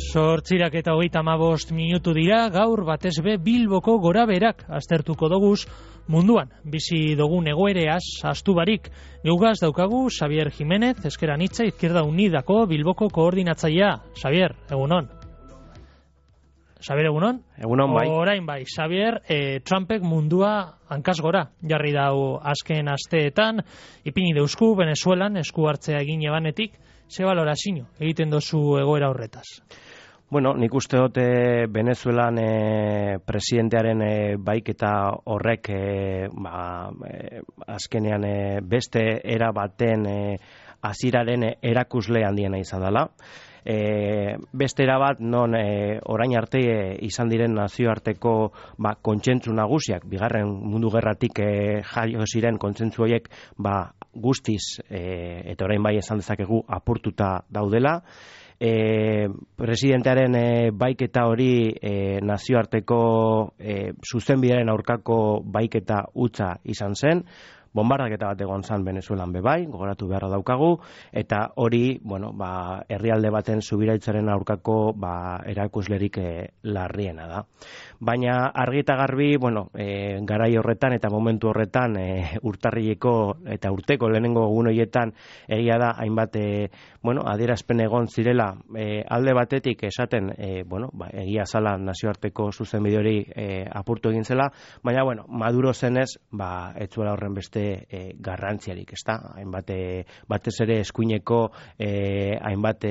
8:35 dira, gaur batez be Bilboko goraberak aztertuko doguz munduan. Bizi dugun egoereaz astu barik. Geugaz daukagu Xavier Jiménez, Ezker Anitza Izquierda Unidako Bilboko koordinatzailea. Xavier, egunon. Xavier, egunon? Egunon, bai. Orain bai, Xavier, Trumpek mundua hankaz gora jarri dau azken asteetan, ipini deusku Venezuelan esku hartzea egin ebanetik, ze balorazio egiten dozu egoera horretaz? Bueno, nik uste dut Venezuelan presidentearen baiketa horrek azkenean beste era baten hasieraren erakusle handiena izan dela. Beste era bat non orain arte izan diren nazioarteko kontsentsu nagusiak, bigarren mundu gerratik jaio ziren kontsentsu horiek guztiz eta orain bai esan dezakegu apurtuta daudela. Presidentearen baiketa hori nazioarteko zuzenbidearen aurkako baiketa hutsa izan zen. Bombardaketa bat egon zan Venezuelan bebai, gogoratu beharra daukagu, eta hori, herrialde baten subiraitzaren aurkako erakuslerik larriena da. Baina argi eta garbi, garai horretan eta momentu horretan urtarrileko eta urteko lehenengo egun horietan egia da hainbat adierazpen egon zirela alde batetik esaten egia zala nazioarteko zuzenbide hori apurtu egin zela, baina Maduro zenez ez zuela horren beste garrantziarik, ezta? Hainbat batez ere eskuineko hainbat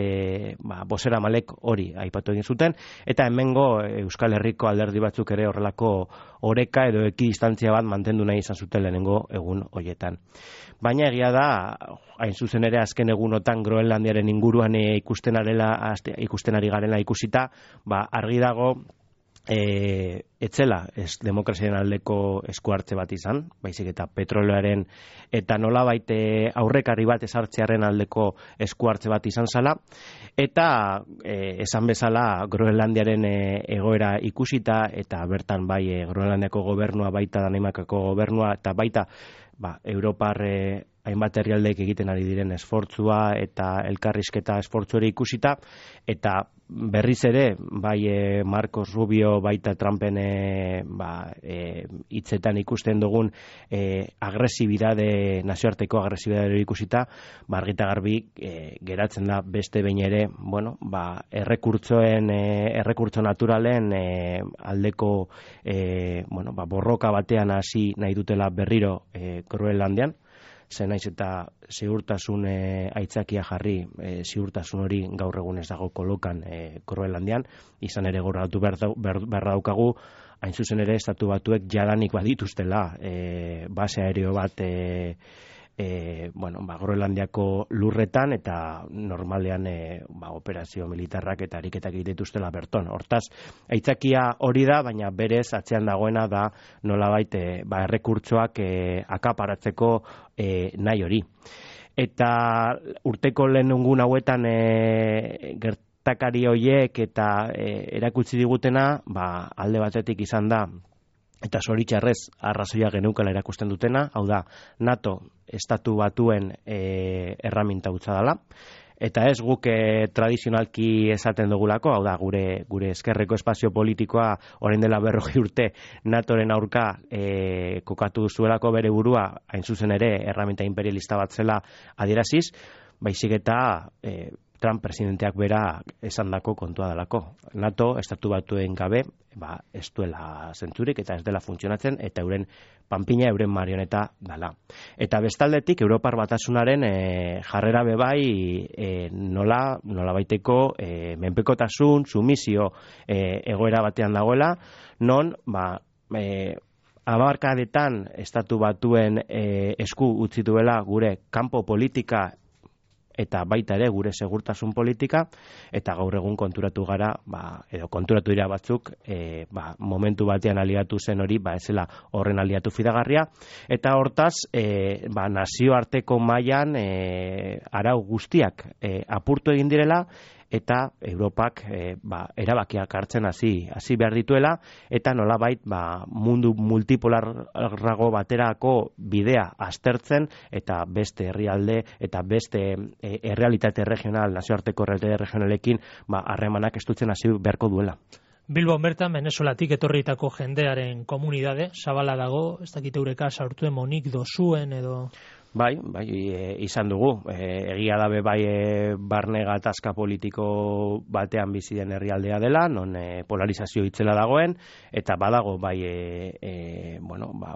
bozeramalek hori aipatu egin zuten, eta hemengo Euskal Herriko alderdi batzuk ere horrelako oreka edo ekidistantzia bat mantendu nahi izan zuten lehenengo egun horietan. Baina egia da, hain zuzen ere azken egunotan Groenlandiaren inguruan ikusten ari garela ikusita, argi dago etzela demokraziaren aldeko esku hartze bat izan, baizik eta petroleoaren eta nolabait aurrekarri bat ezartzearen aldeko esku hartze bat izan zala, eta esan bezala Groenlandiaren egoera ikusita, eta bertan bai Groenlandiako gobernua, baita Danimarkako gobernua, eta baita Europar hainbat herrialdeek egiten ari diren esfortzua eta elkarrizketa esfortzuari ikusita, eta berriz ere, bai Marcos Rubio baita Trumpen hitzetan ikusten dugun nazioarteko agresibidade ikusita, argita garbi geratzen da beste behin ere, errekurtso naturalen aldeko borroka batean hasi nahi dutela berriro Groenlandian. Zen naiz eta ziurtasun aitzakia jarri, ziurtasun hori gaur egun ez dago kolokan Groenlandian, izan ere gogoratu behar daukagu, hain zuzen ere estatu batuek jadanik badituztela base aereo bat Groenlandiako lurretan, eta normalean operazio militarrak eta ariketak egituztela berton. Hortaz, aitzakia hori da, baina berez atzean dagoena da nolabait errekurtsoak akaparatzeko nahi hori. Eta urteko lehenengun hauetan gertakari horiek eta erakutsi digutena, alde batetik izan da, eta zoritxarrez arrazoia geneukala erakusten dutena, hau da, NATO estatu batuen erraminta hutsa dela, eta ez guk tradizionalki esaten dugulako, hau da, gure ezkerreko espazio politikoa orain dela 40 urte NATOren aurka kokatu zuelako bere burua, hain zuzen ere erraminta imperialista bat zela adieraziz, baizik eta Trump presidenteak bera esandako kontua delako. NATO estatu batuen gabe ez duela zentzurik eta ez dela funtzionatzen, eta euren panpina, euren marioneta dela. Eta bestaldetik Europar Batasunaren jarrera bebai nola baiteko menpekotasun, sumizio egoera batean dagoela, non abarkadetan estatu batuen esku utzi duela gure kanpo politika eta baita ere gure segurtasun politika, eta gaur egun konturatu gara, edo konturatu dira batzuk, momentu batean aliatu zen hori, ez zela horren aliatu fidagarria, eta hortaz, nazioarteko mailan arau guztiak apurtu egin direla, eta Europak erabakiak hartzen hasi behar dituela, eta nolabait mundu multipolarrago baterako bidea aztertzen, eta beste herrialde eta beste errealitate regional, nazioarteko errealitate regionalekin harremanak estutzen hasi beharko duela. Bilbon bertan, Venezuelatik etorritako jendearen komunidade, zabala dago, ez dakite eureka saurtuen monik dozuen edo... Bai, izan dugu. Egia dabe barne gatazka politiko batean bizi den herrialdea dela, non polarizazio itzela dagoen, eta badago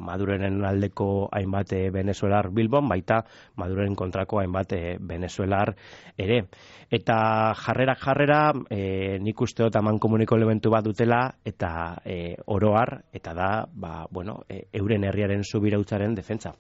Madureren aldeko hainbat venezuelar Bilbon, baita Maduren kontrako hainbat venezuelar ere. Eta jarrera, nik uste dut amankomuniko elementu bat dutela, eta oroar, eta da, euren herriaren subirautzaren defentsa.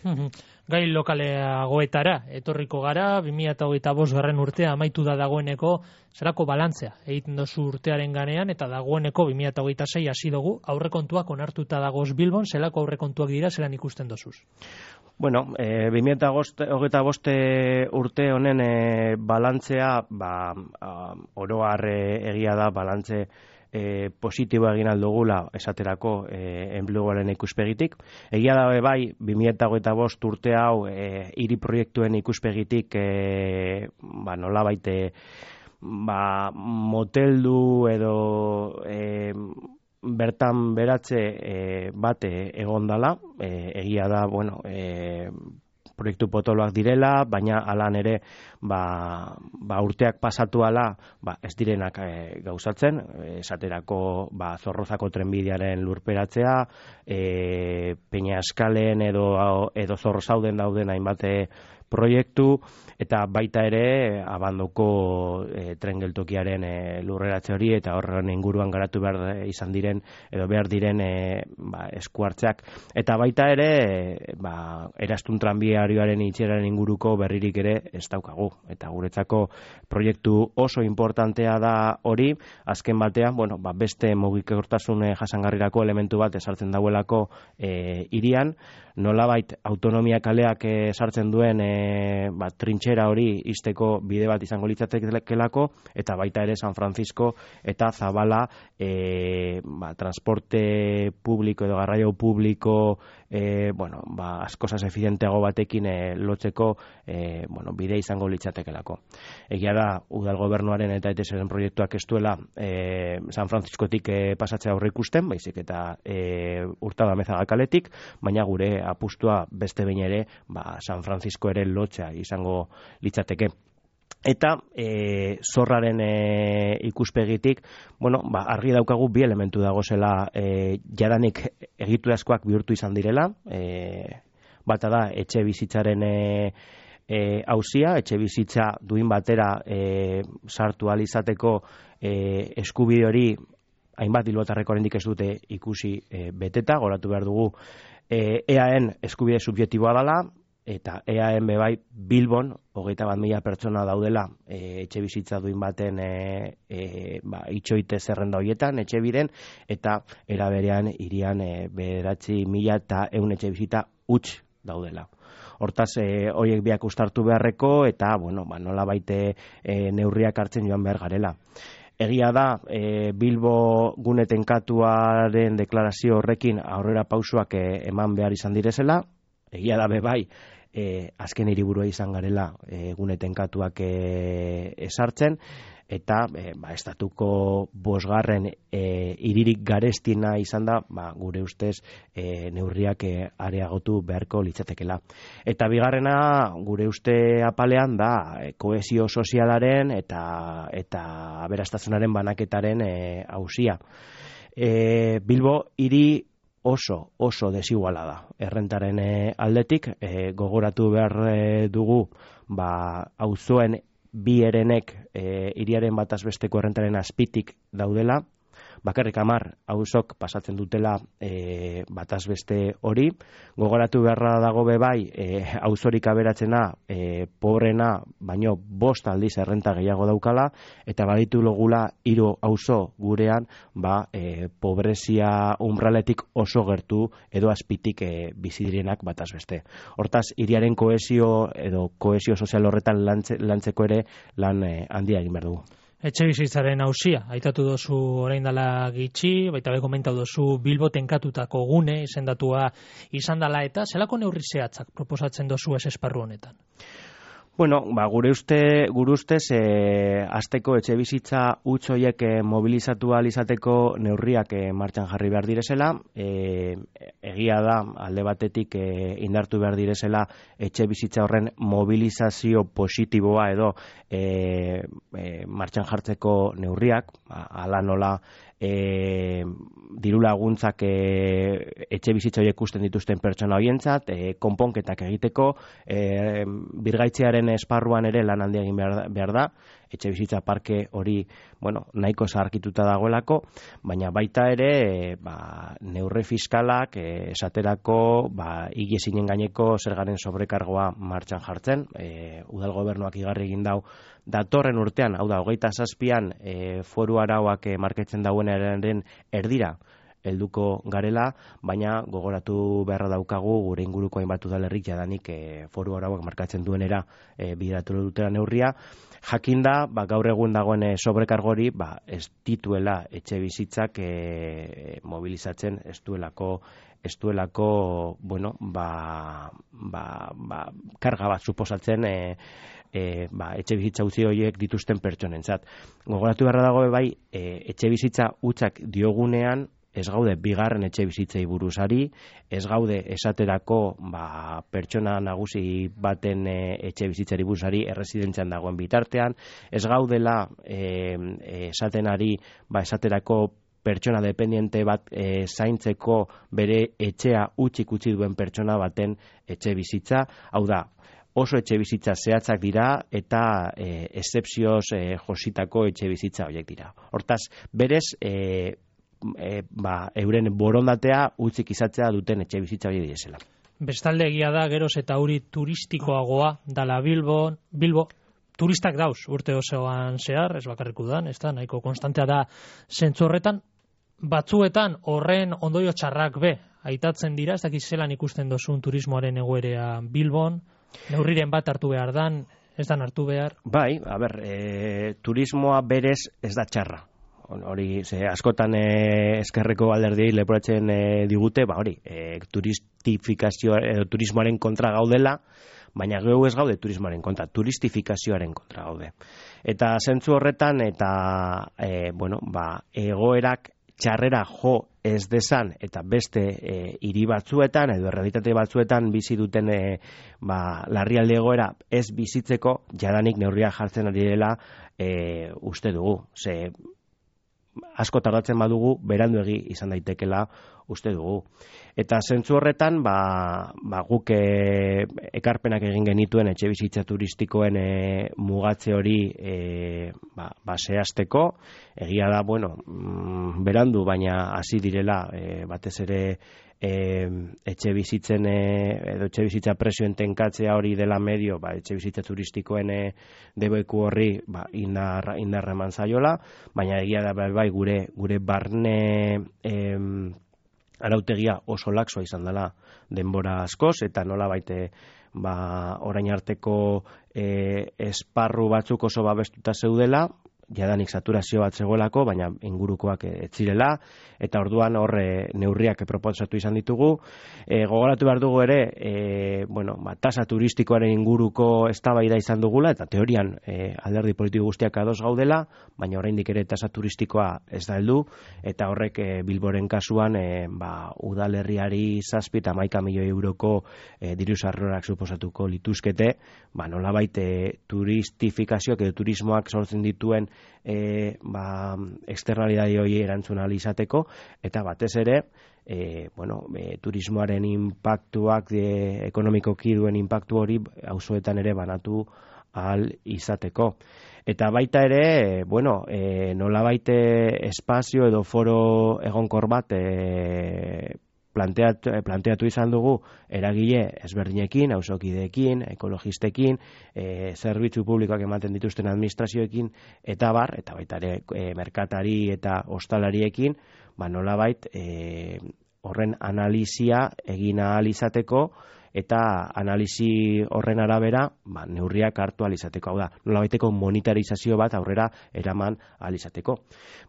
Gai lokaleagoetara etorriko gara, 2025 urtea amaitu da dagoeneko, zerako balantzea egiten dozu urtearen ganean, eta dagoeneko 2026 hasi dugu, aurrekontuak onartuta dagoz Bilbon, zelako aurrekontuak dira, zelan ikusten dozuz? Bueno, 2025 urte honen balantzea, oroar egia da balantze positiboa egin aldugula esaterako enpleguaren ikuspegitik. Egia da bai 2025 urte hau hiri proiektuen ikuspegitik nolabait moteldu edo bertan beratze bat egondala. Egia da proiektu potoloak direla, baina alan ere urteak pasatu ala ez direnak gauzatzen, esaterako Zorrozako trenbidearen lurperatzea, Peñaskalen edo Zorrozauden dauden hainbat proiektu, eta baita ere abandoko tren geltokiaren lurreratze hori, eta horren inguruan garatu behar izan diren edo behar diren eskuartzeak. Eta baita ere Erastun tranbiarioaren itxieraren inguruko berririk ere ez daukagu. Eta guretzako proiektu oso importantea da hori, azken batean, beste mugikortasun jasangarrirako elementu bat esartzen dauelako hirian, nolabait autonomia kaleak sartzen duen trintxera hori izteko bide bat izango litzatekelako, eta baita ere San Francisco eta Zabala transporte publiko edo garraio publiko askozaz efizienteago batekin lotzeko bide izango litzatekelako. Egia da, udal gobernuaren eta ETSren proiektuak ez duela San Franciscotik pasatzea aurre ikusten, baizik eta Hurtado-Amezaga kaletik, baina gure apustua beste behin ere San Francisco ere lotzea izango litzateke. Eta zorraren ikuspegitik, argi daukagu bi elementu dagozela jadanik egiturazkoak bihurtu izan direla. Bata da etxe bizitzaren auzia, etxe bizitza duin batera sartu ahal izateko eskubide hori hainbat bilbotarrek oraindik ez dute ikusi beteta, goratu behar dugu EAen eskubide subjektiboa dela, eta EAen bebai Bilbon 21.000 pertsona daudela etxe bizitza duin baten itxoite zerrenda horietan, etxe biren, eta eraberean hirian 9.100 etxe bizitza huts daudela. Hortaz, horiek biak uztartu beharreko, eta nolabait neurriak hartzen joan behar garela. Egia da, Bilbo gune tenkatuaren deklarazio horrekin aurrera pausoak eman behar izan direzela. Egia da bai, azken hiriburua izan garela gune tenkatuak esartzen, eta estatuko 5. hiririk garestiena izan da, gure ustez neurriak areagotu beharko litzatekela. Eta bigarrena, gure uste apalean da kohesio sozialaren eta aberastasunaren banaketaren auzia. Bilbo hiri oso desiguala da errentaren aldetik, gogoratu behar dugu auzoen bi herenek hiriaren bataz besteko errentaren azpitik daudela, bakarrik 10 auzok pasatzen dutela bataz beste hori. Gogoratu beharra dago bai, auzorik aberatzena, pobrena, baino 5 aldiz errenta gehiago daukala, eta baditu logula 3 auzo gurean, pobrezia umbraletik oso gertu edo azpitik bizi direnak bataz beste. Hortaz, hiriaren kohesio edo kohesio sozial horretan lantzeko ere lan handia egin behar dugu. Etxebizitzaren auzia, aitatu dozu orain dela gitxi, baita be komentatu dozu Bilbo tenkatutako gune izendatua izan dela, eta zelako neurri zehatzak proposatzen dozu ez esparru honetan? Bueno, gure ustez, hasteko etxebizitza huts horiek mobilizatu ahal izateko neurriak martxan jarri behar direzela. Egia da, alde batetik indartu behar direzela etxebizitza horren mobilizazio positiboa edo martxan jartzeko neurriak, hala nola diru laguntzak etxe bizitza horiek ikusten dituzten pertsona horientzat, konponketak egiteko, birgaitzearen esparruan ere lan handia egin behar da, etxe bizitza parke hori, nahiko zaharkituta dagoelako, baina baita ere, neurri fiskalak esaterako, higiezinen gaineko zergaren sobrekargoa martxan jartzen, udal gobernuak igarri egin dau datorren urtean, hau da, 27an foru arauak marketzen dauenaren erdira helduko garela, baina gogoratu beharra daukagu gure inguruko hainbat udalerrik jadanik foru arauak markatzen duenera bideratu dutela neurria. Jakinda, gaur egun dagoen sobrekargori, ez dituela etxe bizitzak mobilizatzen, ez duelako karga bat suposatzen etxe bizitza utzi horiek dituzten pertsonentzat. Gogoratu beharra dago bai, etxe bizitza hutsak diogunean, ez gaude bigarren etxe bizitzei buruzari, ez gaude esaterako pertsona nagusi baten etxe bizitzari buruzari erresidentzian dagoen bitartean, ez gaudela esatenari esaterako pertsona dependiente bat zaintzeko bere etxea utzik utzi duen pertsona baten etxe bizitza, hau da, oso etxe bizitza zehatzak dira eta excepzioz jositako etxe bizitza horiek dira. Hortaz, berez, euren borondatea utzik izatzea duten etxe bizitza hori direzela. Bestalde egia da, geroz eta hori turistikoagoa dala Bilbo, turistak dauz urte osoan zehar, ez bakarrik udan, ez da, nahiko konstantea da zentzu horretan, batzuetan horren ondorio txarrak aitatzen dira, ez dakiz zelan ikusten dozun turismoaren egoerea Bilbon, neurriren bat hartu behar dan, ez dan hartu behar? Bai, turismoa berez ez da txarra. Hori, askotan eskerreko alderdiei leporatzen digute, turistifikazio edo turismoaren kontra gaudela, baina geu ez gaude turismoaren kontra, turistifikazioaren kontra gaude. Eta zentzu horretan, egoerak txarrera jo ez dezan, eta beste hiri batzuetan, edo errealitate batzuetan bizi duten larrialdi egoera ez bizitzeko, jadanik neurriak jartzen ari direla uste dugu. Asko tardatzen badugu, beranduegi izan daitekela uste dugu. Eta zentzu horretan, guk ekarpenak egin genituen etxe bizitza turistikoen mugatze hori zehazteko. Egia da, berandu, baina hasi direla batez ere etxe bizitzen edo etxe bizitza presioen tenkatzea hori dela medio, etxe bizitza turistikoen debeku horri indarra eman zaiola, baina egia da gure barne arautegia oso laxoa izan dela denbora askoz, eta nola baite orain arteko esparru batzuk oso babestuta zeudela, jadanik saturazio bat zegoelako, baina ingurukoak ez zirela, eta orduan hor neurriak proposatu izan ditugu. Gogoratu behar dugu ere, tasa turistikoaren inguruko eztabaida izan dugula, eta teorian alderdi politiko guztiak ados gaudela, baina oraindik ere tasa turistikoa ez da heldu, eta horrek Bilboren kasuan udalerriari 7 eta 11 milioi euroko diru sarrerak suposatuko lituzkete, nolabait turistifikazioak edo turismoak sortzen dituen externalidade hori erantzun ahal izateko, eta batez ere turismoaren inpaktuak ekonomikoki duen inpaktu hori auzoetan ere banatu ahal izateko. Eta baita ere, nolabait espazio edo foro egonkor bat planteatu izan dugu eragile ezberdinekin, auzokideekin, ekologistekin, zerbitzu publikoak ematen dituzten administrazioekin, eta baita ere merkatari eta ostalariekin, nolabait horren analisia egin ahal izateko, eta analisi horren arabera neurriak hartu ahal izateko. Hau da, nolabaiteko monetarizazio bat aurrera eraman ahal izateko.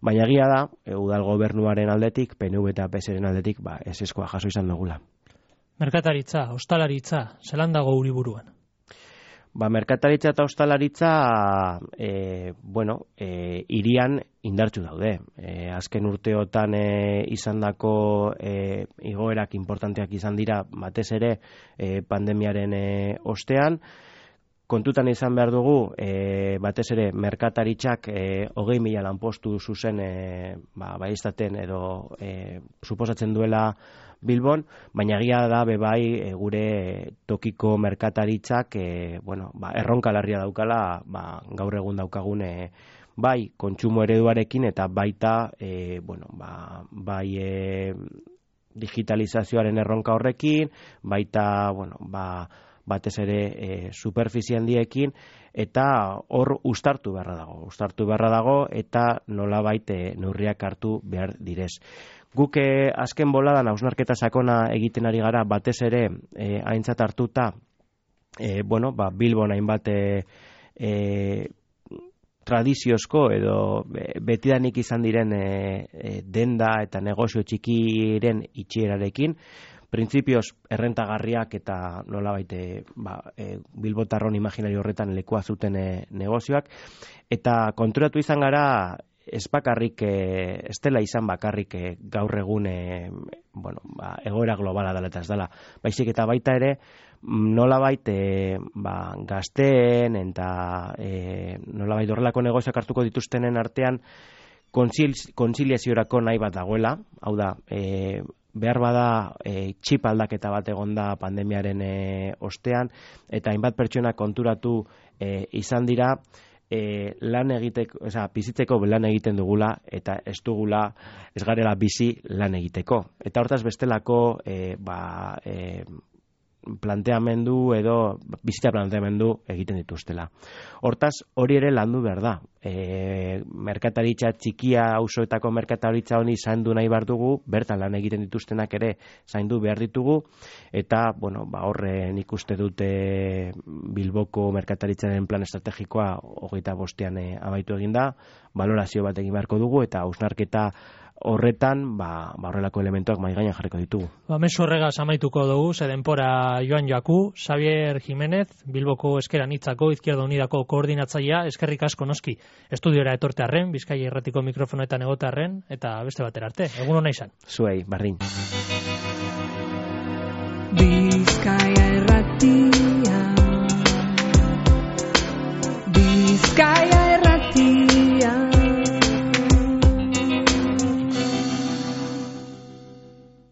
Baina egia da, udal gobernuaren aldetik, PNV eta PSren aldetik, ezeskoa jaso izan dugula. Merkataritza, ostalaritza, zelan dago Uriburuan? Merkataritza eta ostalaritza, hirian indartsu daude. Azken urteotan izandako igoerak importanteak izan dira, batez ere pandemiaren ostean. Kontutan izan behar dugu, batez ere merkataritzak 20.000 lanpostu zuzen baiestaten edo suposatzen duela Bilbon, baina egia da bebai gure tokiko merkataritzak erronka larria daukala gaur egun daukagun bai kontsumo ereduarekin eta baita digitalizazioaren erronka horrekin, baita batez ere superfizie handiekin, eta hor uztartu beharra dago eta nolabait neurriak hartu behar direz. Guk azken boladan hausnarketa sakona egiten ari gara, batez ere aintzat hartuta Bilbon hainbat tradiziozko edo betidanik izan diren denda eta negozio txikiren itxierarekin, printzipioz errentagarriak eta nolabait bilbotarron imaginario horretan lekua zuten negozioak, eta konturatu izan gara ez bakarrik, ez dela izan bakarrik gaur egun egoera globala dela eta ez dela, baizik eta baita ere nolabait gazteen eta nolabait horrelako negozioak hartuko dituztenen artean kontziliaziorako nahi bat dagoela, hau da, behar bada txip aldaketa bat egonda pandemiaren ostean, eta hainbat pertsona konturatu izan dira lan egiteko, bizitzeko lan egiten dugula eta ez garela bizi lan egiteko. Eta hortaz bestelako planteamendu edo bizitza planteamendu egiten dituztela. Hortaz, hori ere landu behar da. Merkataritza txikia, auzoetako merkataritza honi zaindu nahi behar dugu, bertan lan egiten dituztenak ere zaindu behar ditugu, eta horren ikuste dute Bilboko merkataritzaren plan estrategikoa 25ean amaitu eginda, balorazio bat egin beharko dugu, eta hausnarketa horretan, horrelako elementuak mahai gainean jarriko ditugu. Mezu horregaz amaituko dugu, ze denpora joan joaku, Xabier Jimenez, Bilboko Ezker Anitzako Izquierda Unidako koordinatzailea, eskerrik asko noski, estudiora etorte arren, Bizkaia Irratiko mikrofonoetan egote arren, eta beste batera arte, egun hona izan. Zuei, bardin. Bizkaia